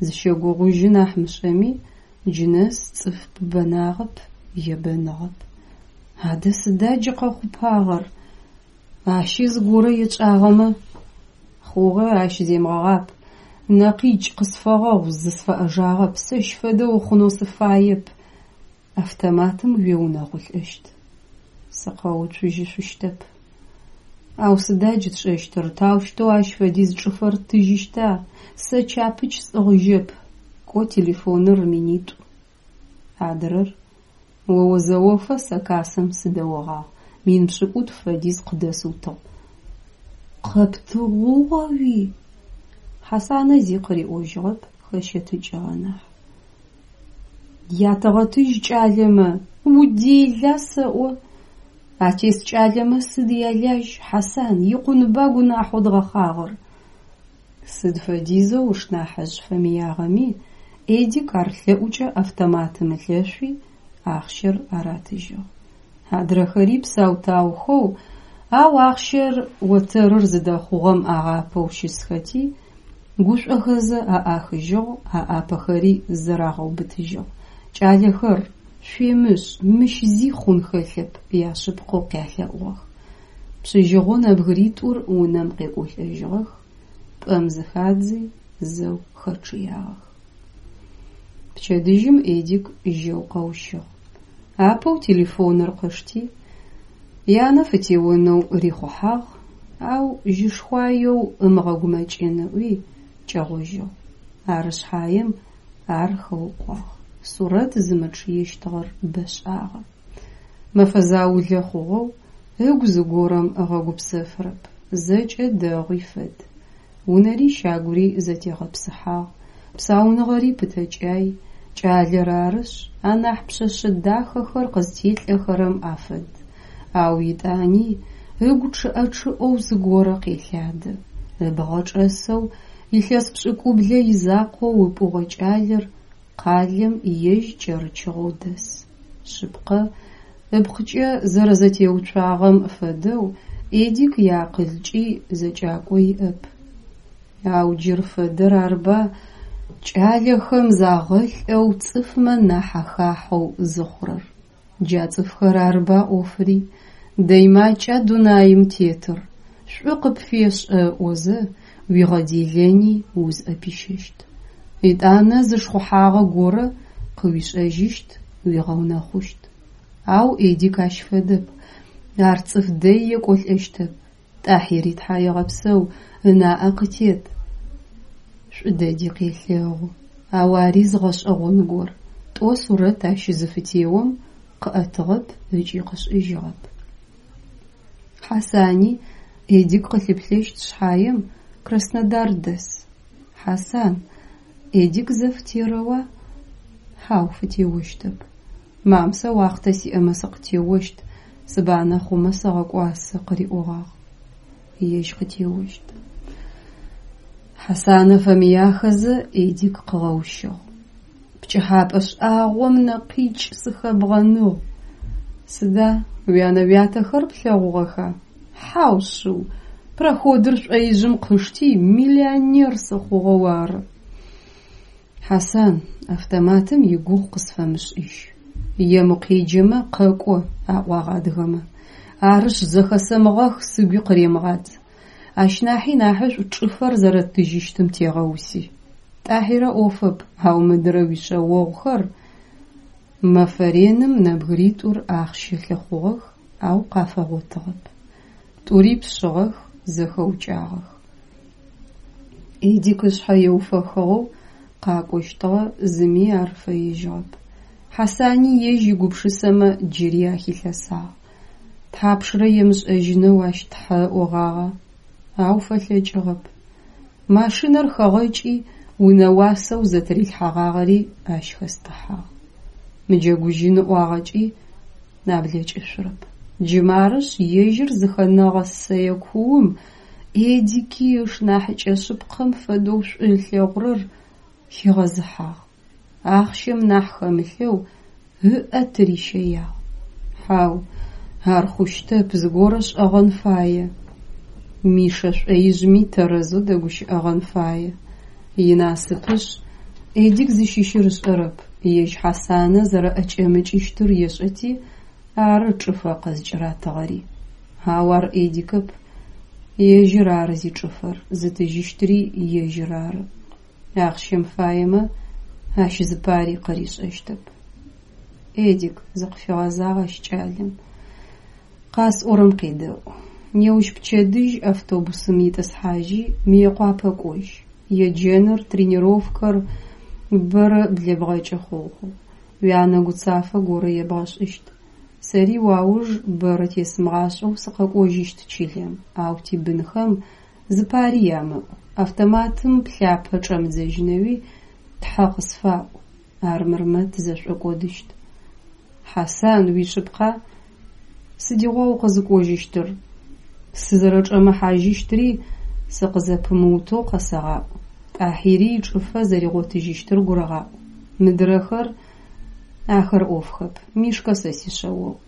Зыщэгугъужьы нахь мышӏэми, джы нэс цӏыф пыбэнагъэп, ебэныгъэп. Адэ сыда джы къэхъупагъэр? Ащи зыгорэ етшӏагъэмэ? Хъугъэ, ащ земыгъэгъап. Нэкъикӏ, къысфэгъэгъу, зысфэӏэжагъэп, сэщ фэдэ ухъунэу сыфаеп. Автоматым уеунэхъулӏэщт. Сыкъэуцужьышъущтэп. Ау сыда джы тшӏэщтыр? Таущтэу ащ фэдиз чӏыфэр ттыжьыщта? Сэ чапыч сӏыгъыжьэп. Кӏо, телефоныр минитӏу. Адрэр? О озэофэ сэ кассэм сыдэогъагъ. Мин пшӏыкӏутф фэдиз къыдэсыутыгъ. Къэптыгъугъэуи? Хьасанэ зи къыриӏожьыгъэп, хэщэтыкӏыгъэ нахь. Ятэгъэтыжь кӏалэмэ, удела сэӏо? Атес кӏалэмэ сыд ялажь, Хьасан, икъунба гунахьэу дгъэхъагъэр. Сыд фэдизэу ышнахьыжъ фэмыягъэми, Эдик ар лъэӏукӏэ автоматым ылъэшъуи, ахъщэр аратыжьыгъ. Адрэхэри псау-таухэу, ау ахъщэр отэрыр зыдэхъугъэм агъапэу щысхэти, гушӏохэзэ аӏахыжьыгъ, аӏапэхэри зэрагъэубытыжьыгъ. Кӏалэхэр, шъуемышӏ, мыщ зи хъун хэлъэп, яшъыпкъэу къялъэӏугъэх. Пшъыжьыгъэу нэбгыритӏур унэм къекӏолӏэжьыгъэх, пӏэм зыхадзи, зэу хэчъыягъэх. Пчэдыжьым Эдик жьэу къэущыгъ. Апэу телефоныр къышти, янэ фытеонэу рихъухьагъ, ау жьышхуаеу ымыгъэгумэкӏын ыӏуи, кӏэгъожьыгъ. Ары шъхьаем ар хэукъуагъ. Сурэт зымычъыещтыгъэр бэшӏагъэ. Мэфэ заулэ хъугъэу ыгу зыгорэм ыгъэгупсэфырэп. Зэкӏэ дэгъуи фэд. Унэри щагури зэтегъэпсыхьагъ, псауныгъэри пытэкӏай, кӏалэр арышъ, анахь пшъэшъэ дахэхэр къызтелӏэхэрэм афэд. Ау етӏани ыгу чъыӏэ-чъыӏэу зыгорэ къелъадэ. Ыбгъэ чӏэсэу Илъэс пшӏыкӏублэ изакъоу ыпӏугъэ кӏалэр къалэм ежь кӏэрычыгъэу дэс. Шъыпкъэ, ыпкъыкӏэ зэрэзэтеуцуагъэм фэдэу Эдик иакъылкӏи зэкӏакӏо иӏэп. Ау джыр фэдэр арба кӏалэхэм загъэлӏэу цӏыфмэ нахь ахахьэу зыхъурэр. Джа цӏыфхэр арба ӏофри. Дэй макӏа дунаим тетыр, шӏу къыпфешӏэ ыӏозэ, уигъэделэни узӏэпищэщт. Етӏанэ зы шхъухьагъэ горэ къыуишӏэжьыщт, уигъэунэхъущт. Ау Эдик ащ фэдэп, ар цӏыф дэй екӏолӏэщтэп. Тӏахьири тхьаегъэпсэу, ынаӏэ къытет, шӏу дэди къелъэгъу. Ау ари зы гъэшӏэгъон гор: тӏо сурэт ащ зыфытеом къыӏэтыгъэп ыкӏи къышӏыжьыгъэп. Хьасани Эдик къылъыплъэщт шъхьаем, Краснодар дэс. Хьасан, Эдик зэ фытерэуа? Хьау, фытеощтэп. Мам, сэ уахътэ сиӏэмэ сыкъытеощт, сыбанэ хъумэ сэгъэкӏуасэ къыриӏогъагъ. Ежь къытеощт. Хьасанэ фэмыяхэзэ Эдик къыгъэущыгъ. Пкӏыхьапӏэ шӏагъом нэкъикӏ сыхэбгъэныгъ. Сыда, уянэ-уятэхэр плъэгъугъэха? Хьау шъыу, проходыр шӏоижъым къышти миллионер сыхъугъэу ары. Хьасан, автоматым игугъу къысфэмышӏыжь. Ем укъеджэмэ къэкӏо, аӏуагъ адыгэмэ. Арышъ, зэхэсэмыгъэх сыгуи къыремыгъадз. Ащ нахьи нахьышӏу чӏыфэр зэрэттыжьыщтым тегъэуси. Тӏахьирэ ӏофэп, ау мыдырэ уишъэогъухэр... Мэфэ реным нэбгыритӏур ахъщэ лъыхъугъэх, ау къафэгъотыгъэп. Тӏури пшъыгъэх, зэхэукӏагъэх. Эдик ышъхьэ еуфэхыгъэу къакӏощтыгъэ, зыми ар фэежьыгъэп. Хьасани ежь игупшысэмэ джыри ахилъэсагъ. Тхьапшрэ емышӏэжьынэу ащ тхьэ ыӏогъагъа, ау фэлъэкӏыгъэп. Машинэр хэгъэкӏи, унэ уасэу зэтырилъхьэгъагъэри ащ хэстыхьагъ. Мыджэгужьын ыӏуагъэкӏи наблэкӏышъурэп. Джы марышъ, ежьыр зыхэнэгъэ сэе куум Эдики ышнахьыкӏэ шъыпкъэм фэдэу шӏу ылъэгъурэр хигъэзыхьагъ. Ахъщэм нахь хэмылъэу ыӏэ тырищэягъ. Хьау, ар хъущтэп, зыгорэ шӏэгъэн фае. Мишэ шӏоижъми тэрэзэу дэгущыӏэгъэн фае. Инасыпышъ, Эдик зыщыщыр ышӏэрэп, ежь Хьасанэ зэрэӏэкӏэмыкӏыщтыр ешӏэти ары чӏыфэ къызкӏыратыгъэри. Ау ар Эдикэп, ежьыр ары зичӏыфэр, зытыжьыщтыри ежьыр ары. Ахъщэм фаемэ, ащ зыпари къыришӏэщтэп. Эдик, зыкъыфигъэзагъ ащ кӏалэм, къасӏорэм къедэӏу. Неущпчэдыжь автобусым итӏысхьажьи, Мыекъуапэ кӏожь. Еджэныр, тренировкэр бэрэ блэбгъэкӏы хъугъэ. Уянэ гуцафэ горэ ебгъэшӏыщт. Сэри уауж бэрэ тесымыгъашӏэу сыкъэкӏожьыщт чылэм, ау тибынхэм зыпари ямыӏу, автоматым плъапэ чӏэмыдзэжьынэуи тхьэ къысфаӏу, армырмэ тызэшӏокӏодыщт. Хьасан, уишъыпкъа? Сыдигъуа укъызыкӏожьыщтыр? Сызэрэчӏэмыхьажьыщтыри сыкъызэпымыутэу къэсэгъаӏу. Тӏахьири ичӏыфэ зэригъотыжьыщтыр гурыгъаӏу. Мыдрэхэр... Ахэр ӏофхэп, Мишкэ сэ сишъэогъу.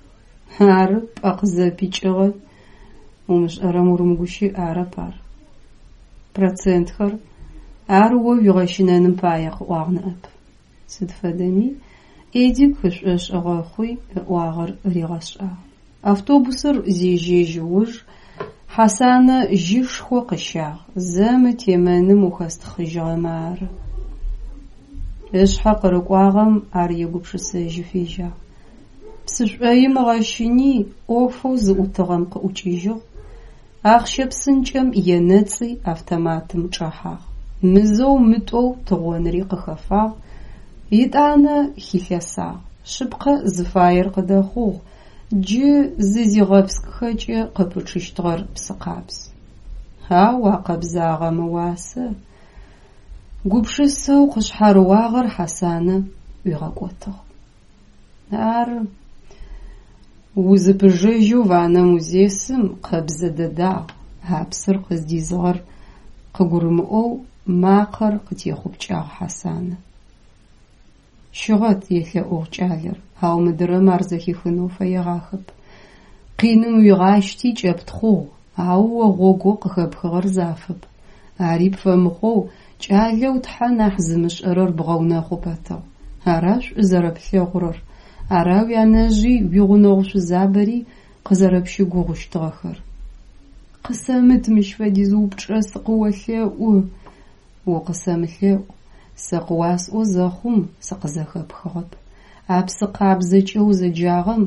Ары, пӏэ къызэпикӏыгъэ. Умышӏэрэм урымыгущыӏ, арэп ар. Процентхэр? Ар о уигъэщынэным пае къыӏуагъ ныӏэп. Сыд фэдэми, Эдик ышӏошъ ыгъэхъуи, ыӏуагъэр ригъэшӏагъ. Автобусыр зежьэжь уж Хьасанэ жьышхо къыщагъ: «Зэ мы темэным ухэстхъыжьыгъэмэ ары». Ышъхьэ къырыкӏуагъэм ар егупшысэжьы фежьагъ. Псы шӏоим ыгъэщыни, ӏофэу зыӏутыгъэм къыӏукӏыжьыгъ, ахъщэ псынкӏэм енэцӏи автоматым чӏэхьагъ. Мызэу-мытӏоу тыгъоныри къыхэфагъ, етӏанэ хилъэсагъ. Шъыпкъэ, зыфаер къыдэхъугъ, джы зызигъэпскӏхэкӏэ къыпычъыщтыгъэр псы къабз. Ау а къэбзагъэм ыуасэ... Гупшысэу къышъхьарыуагъэр Хьасанэ ӏуигъэкӏотыгъ. Ары, узыпыжэжьэу ваннэм узесым къэбзэ дэдагъ, а псыр къыздизыгъэр къыгурымыӏоу Макъэр къытехъупкӏагъ Хьасанэ. Щыгъэт, елъэӏугъ кӏалэр, ау мыдрэм ар зэхихынэу фэегъахэп. Къиным уигъащти кӏэптхъугъ, ау о гъогоу къыхэпхыгъэр зафэп. Ари пфэмыхъоу кӏалэу тхьэ нахь зымышӏэрэр бгъэунэхъу пэтыгъ. Ара шӏу зэрэплъэгъурэр, ара уянэжъи уигъунэгъу шъузабэри къызэрэпщыгугъыщтыгъэхэр? Къысэмыт мыщ фэдиз упчӏэ, сыкъыолъэӏу. Укъысэмылъэӏу, сэ къыуасӏо зэхъум сыкъызэхэпхыгъэп. А псы къабзэкӏэ узэджагъэм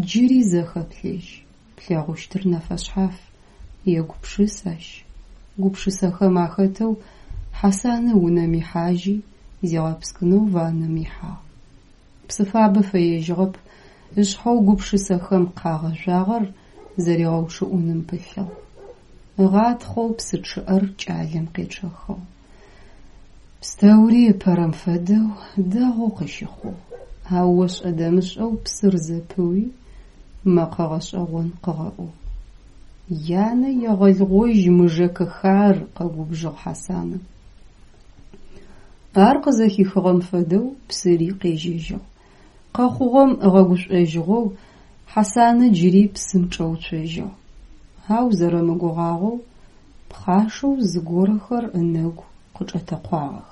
джыри зэ хэплъэжь, плъэгъущтыр нэфэшъхьаф. Егупшыс ащ. Гупшысэхэм ахэтэу Хьасанэ унэм ихьажьи, зигъэпскӏынэу ваннэм ихьагъ. Псы фабэ фэежьыгъэп, ышъхьэу гупшысэхэм къагъэжъуагъэр зэригъэучъыӏуным пылъыгъ. Ыгъатхъэу псы чъыӏэр кӏалэм къечъэхыгъ. Пстэури ыпэрэм фэдэу дэгъоу къыщыхъугъ. Ау ошӏэ-дэмышӏэу псыр зэпыуи, мэкъэ гъэшӏэгъон къыгъэӏугъ. Янэ егъэлгъожь мы ЖэкэХар, къэгубжыгъ Хьасанэ. Ар къызэхихыгъэм фэдэу псыри къежьэжьыгъ. Къэхъугъэм ыгъэгушӏожьыгъэу Хьасанэ джыри псым чӏэуцожьыгъ. Ау зэрэмыгугъагъэу пхъашэу зыгорэхэр ынэгу къычӏэтэкъуагъэх.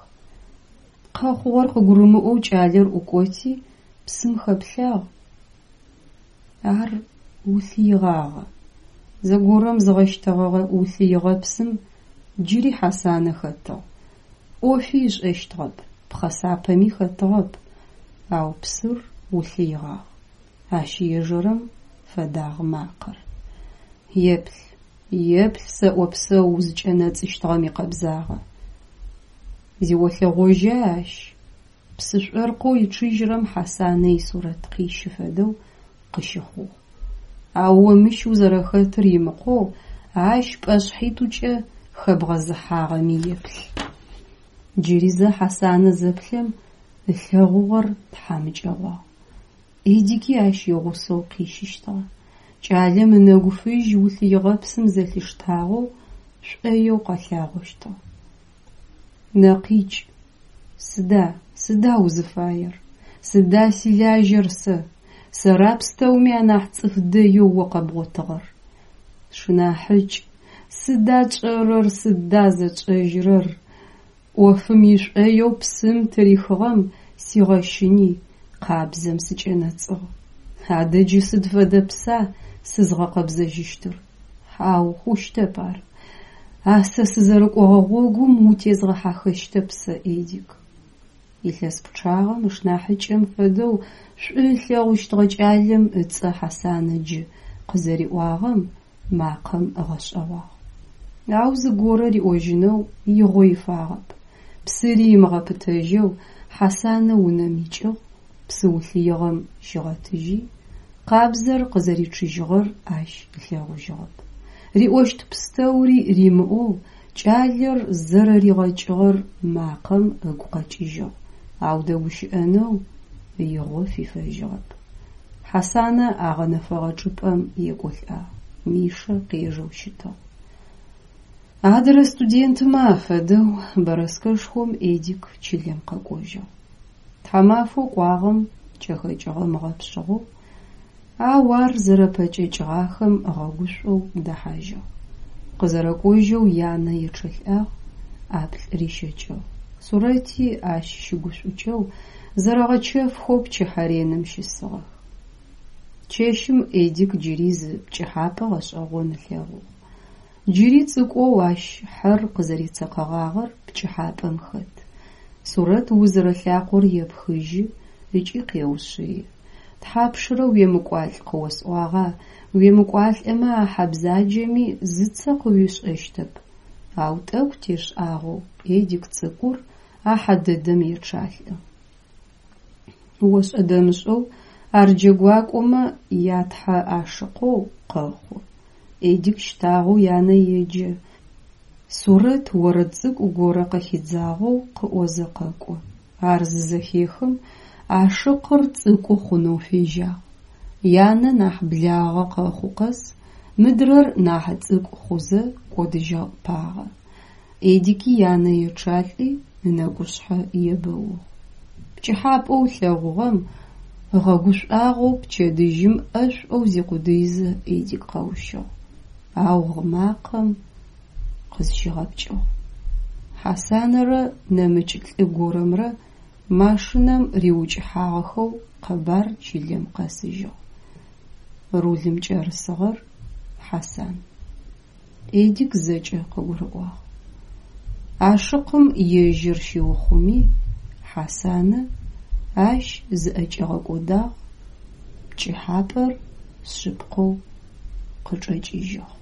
Къэхъугъэр къыгурымыӏоу кӏалэр ӏукӏоти, псым хэплъагъ. Ар улъыигъагъэ. Зэгорэм зыгъэщтэгъэгъэ улъыигъэпсым джыри Хьасанэ хэтыгъ. Ӏофи ышӏэщтыгъэп, пхъэсапэми хэтыгъэп, ау псыр улъыигъагъ. Ащ ежэрэм фэдагъ макъэр. Еплъ, еплъ сэӏо псэу узыкӏэнэцӏыщтыгъэм икъэбзагъэ. Зиолъэгъожьа ащ? Псы шӏоркъэу ичъыжьырэм Хьасанэ исурэт къищы фэдэу къыщыхъугъ. Ау о мыщ узэрэхэтыр имыкъоу ащ пӏэшъхьитӏукӏэ хэбгъэзыхьагъэми еплъ. Джыри зэ Хьасанэ зэплъэм ылъэгъугъэр тхьамыкӏэгъуагъ. Эдики ащ игъусэу къищыщтыгъэ. Кӏалэм ынэгу фыжь улъыигъэпсым зэлъиштагъэу шӏоеу къэлъагъощтыгъ. Нэкъикӏ! Сыда, сыда узыфаер? Сыда силажьэр сэ? Сэра пстэуми анахь цӏыф дэеу о къэбгъотыгъэр? Сшынахьыкӏ, сыда тшӏэрэр, сыда зэтшӏэжьырэр? Ӏофым ишӏоеу псым тырихыгъэм сигъэщыни, къабзэм сыкӏэнэцӏыгъ. Адэ джы сыд фэдэ пса сызгъэкъэбзэжьыщтыр? Хьау, хъущтэп ар. А сэ сызэрыкӏогъэ гъогум утезгъэхьахэщтэп сэ, Эдик. Илъэс пчъагъэм ышнахьыкӏэм фэдэу шӏу ылъэгъущтыгъэ кӏалэм ыцӏэ Хьасанэ джы къызэриӏуагъэм макъэм ыгъэшӏэгъуагъ. Ау зыгорэ риӏожьынэу игъо ифагъэп. Псыри ымыгъэпытэжьэу Хьасанэ унэм икӏыгъ, псы улъыигъэм щигъэтыжьи, къабзэр къызэричъыжьыгъэр ащ ылъэгъужьыгъэп. Риӏощт пстэури римыӏоу кӏалэр зэрэригъэкӏыгъэр макъэм ыгу къэкӏыжьыгъ, ау дэгущыӏэнэу игъо фифэжьыгъэп. Хьасанэ агъэнэфэгъэ чӏыпӏэм екӏолӏагъ. Мишэ къежэу щытыгъ. Адрэ студентмэ афэдэу бэрэскэшхом Эдик чылэм къэкӏожьыгъ. Тхьамафэу кӏуагъэм кӏэхэкӏыгъэм ыгъэпшъыгъэу, ау ар зэрэпэкӏэкӏыгъахэм ыгъэгушӏоу дэхьажьыгъ. Къызэрэкӏожьэу янэ ечъэлӏагъ, ӏаплӏ рищэкӏыгъ. Сурэти ащ щыгушӏукӏэу, зэрэгъэчэфхэу пчыхьэ реным щысыгъэх. Чэщым Эдик джыри зы пкӏыхьапӏэ гъэшӏэгъон ылъэгъугъ. Джыри цӏыкӏоу ащ хьэр къызэрецэкъэгъагъэр пкӏыхьапӏэм хэт. Сурэт узырэ лъакъор епхыжьы ыкӏи къеушъыи. Тхьапшрэ уемыкӏуалӏ къыосӏуагъа, уемыкӏуалӏэмэ а хьэ бзаджэми зыцэ къыуишӏэщтэп. Ау тӏэкӏу тешӏагъэу Эдик цӏыкӏур а хьэ дэдэм ечъалӏэ. Ошӏэ-дэмышӏэу ар джэгуакӏомэ ятхьэ ашыкъэу къэхъу. Эдик щтагъэу янэ еджэ. Сурэт орэд цӏыкӏу горэ къыхидзагъэу къыӏозэ къэкӏо. Ар зызэхехым, ашыкъыр цӏыкӏу хъунэу фежьагъ. Янэ нахь благъэ къэхъу къэс мыдрэр нахь цӏыкӏу хъузэ кӏодыжьыпагъэ. Эдики янэ ечъалӏи, ынэкӏушъхьэ ебэугъ. Пкӏыхьапӏэу ылъэгъугъэм ыгъэгушӏуагъэу пчэдыжьым ӏэшӏоу зикъудыизэ Эдик къэущыгъ. Ау гъы макъэм къызщигъэпкӏыгъ. Хьасанэрэ нэмыкӏ лӏы горэмрэ машинэм риукӏыхьагъэхэу къэбар чылэм къэсыжьыгъ. Рулым кӏэрысыгъэр Хьасан. Эдик зэкӏэ къыгурыӏуагъ. Ашыкъым ежьыр щиухъуми, Хьасанэ ащ зыӏэкӏигъэкӏодагъ, пкӏыхьапӏэр шъыпкъэу къычӏэкӏыжьыгъ.